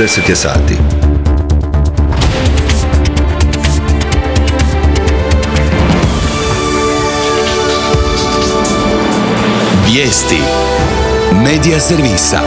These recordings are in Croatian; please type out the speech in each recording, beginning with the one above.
10 je sati. Vijesti Medija servisa.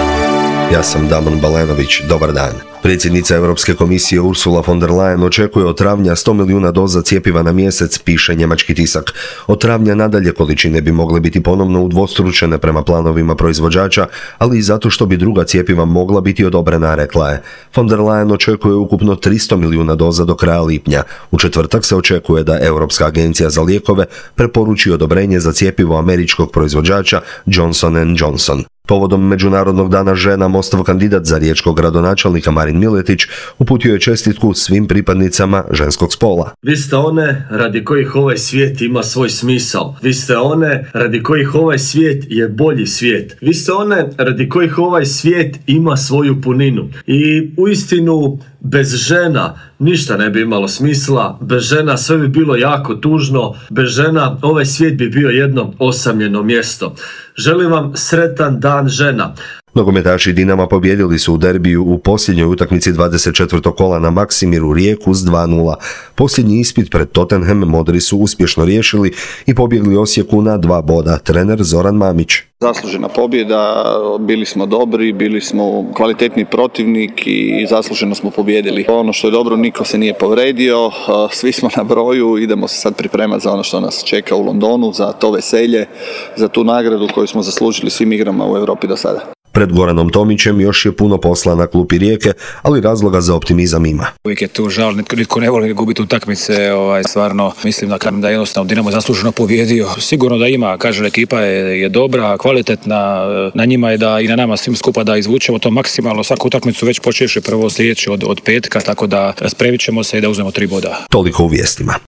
Ja sam Damon Balenović, dobar dan. Predsjednica Europske komisije Ursula von der Leyen očekuje od travnja 100 milijuna doza cjepiva na mjesec, piše njemački tisak. Od travnja nadalje količine bi mogle biti ponovno udvostručene prema planovima proizvođača, ali i zato što bi druga cjepiva mogla biti odobrena, rekla je. Von der Leyen očekuje ukupno 300 milijuna doza do kraja lipnja. U četvrtak se očekuje da Europska agencija za lijekove preporuči odobrenje za cjepivo američkog proizvođača Johnson & Johnson. Povodom Međunarodnog dana žena, Mostov kandidat za riječkog gradonačelnika Marin Miletić uputio je čestitku svim pripadnicama ženskog spola. Vi ste one radi kojih ovaj svijet ima svoj smisao. Vi ste one radi kojih ovaj svijet je bolji svijet. Vi ste one radi kojih ovaj svijet ima svoju puninu. I uistinu bez žena ništa ne bi imalo smisla. Bez žena sve bi bilo jako tužno. Bez žena ovaj svijet bi bio jedno osamljeno mjesto. Želim vam sretan dan žena. Nogometaši Dinama pobijedili su u derbiju u posljednjoj utakmici 24. kola na Maksimiru Rijeku s 2:0. Posljednji ispit pred Tottenham modri su uspješno riješili i pobjegli Osijeku na 2 boda. Trener Zoran Mamić. Zaslužena pobjeda, bili smo dobri, bili smo kvalitetni protivnik i zasluženo smo pobijedili. Ono što je dobro, niko se nije povredio, svi smo na broju, idemo se sad pripremati za ono što nas čeka u Londonu, za to veselje, za tu nagradu koju smo zaslužili svim igrama u Europi do sada. Pred Goranom Tomićem još je puno posla na klupi Rijeke, ali razloga za optimizam ima. Uvijek je tu žal, nitko ne voli gubiti utakmice, stvarno mislim da jednostavno Dinamo zasluženo pobjedio. Sigurno da ima, kažem, ekipa je dobra, kvalitetna, na njima je da i na nama svim skupa da izvučemo to maksimalno, svaku utakmicu već počeši prvo sljedeći od petka, tako da spremit ćemo se i da uzmemo 3 boda. Toliko u vijestima.